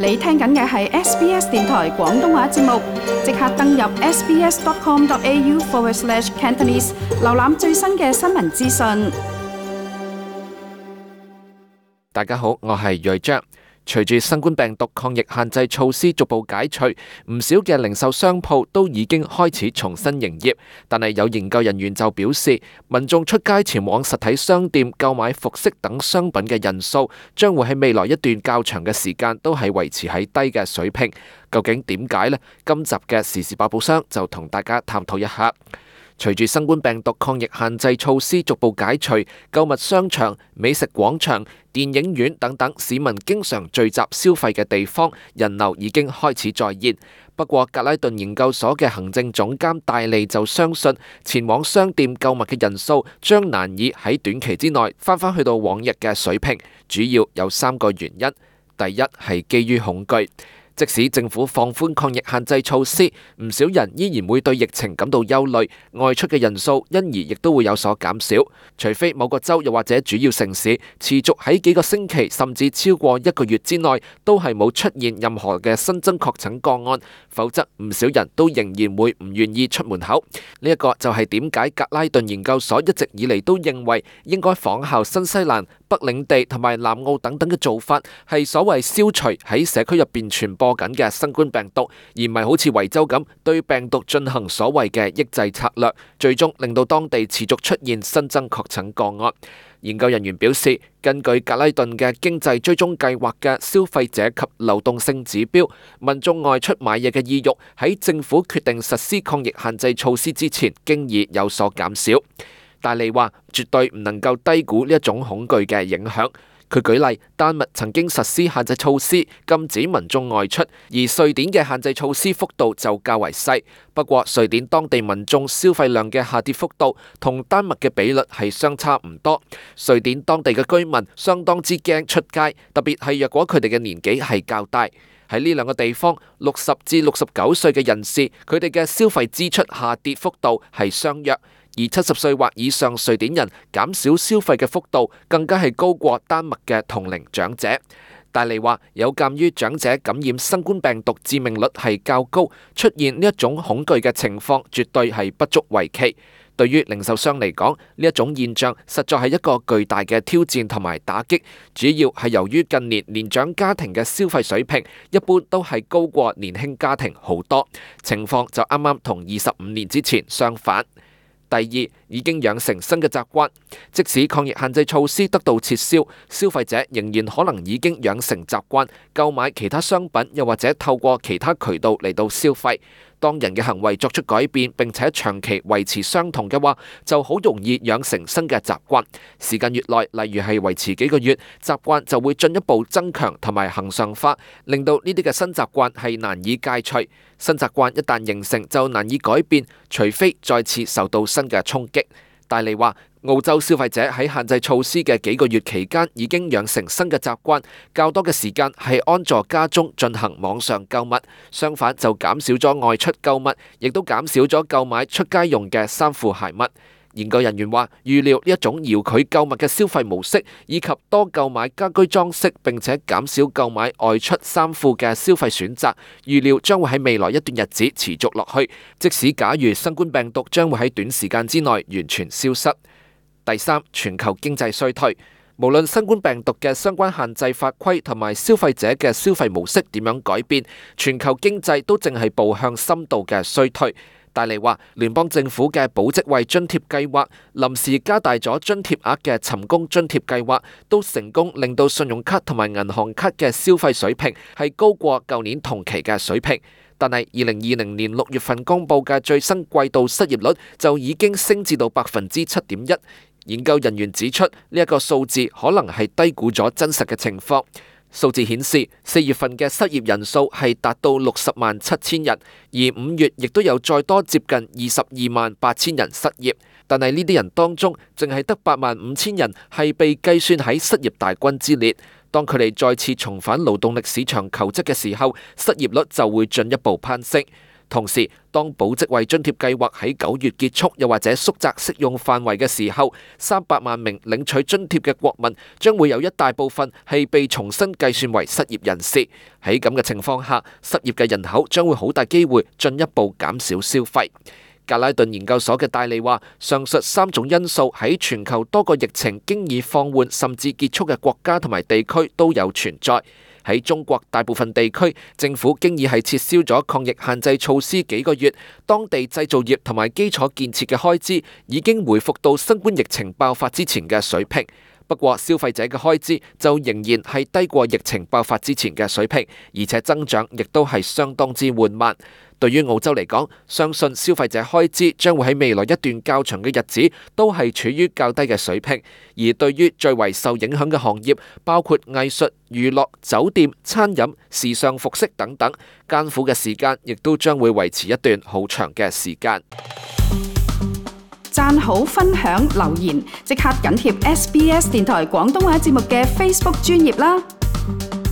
你聽緊嘅係 SBS 電台廣東話節目，即刻登入 sbs.com.au/cantonese 瀏覽最新嘅新聞資訊。大家好，我係瑞章。隨住新冠病毒抗疫限制措施逐步解除，唔少嘅零售商鋪都已經開始重新營業。但係有研究人員就表示，民眾出街前往實體商店購買服飾等商品嘅人數，將會喺未來一段較長嘅時間都係維持喺低嘅水平。究竟點解呢？今集嘅時事百寶箱就同大家探討一下。隨住新冠病毒抗疫限制措施逐步解除，購物商場、美食廣場、電影院等等市民經常聚集消費嘅地方，人流已經開始再現。不過，格拉頓研究所嘅行政總監戴利就相信，前往商店購物嘅人數將難以喺短期之內翻返去到往日嘅水平。主要有3個原因。第一係基於恐懼。即使政府放寬抗疫限制措施，唔少人依然會對疫情感到憂慮，外出嘅人數因而亦都會有所減少。除非某個州又或者主要城市持續喺幾個星期甚至超過1個月之內都係冇出現任何嘅新增確診個案，否則唔少人都仍然會唔願意出門口。呢一個就係點解格拉頓研究所一直以嚟都認為應該仿效新西蘭、北領地同埋南澳等等嘅做法，係所謂消除喺社區入邊傳播緊嘅新冠病毒，而唔係好似維州咁對病毒進行所謂嘅抑制策略，最終令到當地持續出現新增確診個案。研究人員表示，根據格拉頓嘅經濟追蹤計劃嘅消費者及流動性指標，民眾外出買嘢嘅意欲喺政府決定實施抗疫限制措施之前，經已有所減少。戴利話：絕對唔能夠低估呢一種恐懼嘅影響。佢舉例，丹麥曾經實施限制措施，禁止民眾外出，而瑞典嘅限制措施幅度就較為細。不過，瑞典當地民眾消費量嘅下跌幅度同丹麥嘅比率係相差唔多。瑞典當地嘅居民相當之驚出街，特別係若果佢哋嘅年紀係較大。喺呢兩個地方，60至69歲嘅人士，佢哋嘅消費支出下跌幅度係相若。而70歲或以上瑞典人減少消費嘅幅度更加係高過丹麥嘅同齡長者。戴利話，有鑑於長者感染新冠病毒致命率係較高，出現呢一種恐懼嘅情況絕對係不足為奇。對於零售商嚟講，呢一種現象實在係一個巨大嘅挑戰同埋打擊，主要係由於近年年長家庭嘅消費水平一般都係高過年輕家庭好多，情況就啱啱同25年之前相反。第二，已經養成新嘅習慣，即使抗疫限制措施得到撤銷，消費者仍然可能已經養成習慣購買其他商品，又或者透過其他渠道嚟到消費。當人嘅行為作出改變並且長期維持相同嘅話，就好容易養成新嘅習慣。時間越耐，例如係維持幾個月，習慣就會進一步增強同埋恆常化，令到呢啲嘅新習慣係難以戒除。新習慣一旦形成就難以改變，除非再次受到新嘅衝擊。戴利話，澳洲消費者喺限制措施嘅幾個月期間已經養成新嘅習慣，較多嘅時間係安坐家中進行網上購物，相反就減少咗外出購物，亦都減少咗購買出街用嘅衫褲鞋襪。研究人員話，預料呢一種遙距購物嘅消費模式，以及多購買家居裝飾並且減少購買外出衫褲嘅消費選擇，預料將會喺未來一段日子持續落去，即使假如新冠病毒將會喺短時間之內完全消失。第三，全球經濟衰退。無論新冠病毒嘅相關限制法規同埋消費者嘅消費模式點樣改變，全球經濟都正係步向深度嘅衰退。戴利話，聯邦政府嘅保職位津貼計劃、臨時加大咗津貼額嘅尋工津貼計劃，都成功令到信用卡同埋銀行卡嘅消費水平係高過舊年同期嘅水平。但係2020年6月份公佈嘅最新季度失業率就已經升至到7.1%。研究人員指出，呢一個數字可能係低估咗真實嘅情況。數字顯示，4月份嘅失業人數係達到607000人，而5月亦都有再多接近228000人失業。但係呢啲人當中，淨係得85000人係被計算喺失業大軍之列。當佢哋再次重返勞動力市場求職嘅時候，失業率就會進一步攀升。同時，當保職位津貼計劃喺9月結束，又或者縮窄適用範圍嘅時候，300萬名領取津貼嘅國民將會有一大部分係被重新計算為失業人士。喺咁嘅情況下，失業嘅人口將會好大機會進一步減少消費。格拉頓研究所嘅戴利話，上述3種因素喺全球多個疫情經已放緩甚至結束嘅國家同埋地區都有存在。喺中國大部分地區，政府經已係撤銷咗抗疫限制措施幾個月，當地製造業同埋基礎建設嘅開支已經回復到新冠疫情爆發之前嘅水平。不過消費者嘅開支就仍然係低過疫情爆發之前嘅水平，而且增長亦都係相當之緩慢。對於澳洲嚟講，相信消費者開支將會喺未來一段較長嘅日子都係處於較低嘅水平。而對於最為受影響嘅行業，包括藝術、娛樂、酒店、餐飲、時尚服飾等等，艱苦嘅時間亦都將會維持一段好長嘅時間。讚好、分享、留言，即刻緊貼SBS 電台廣東話節目嘅 Facebook 專頁啦！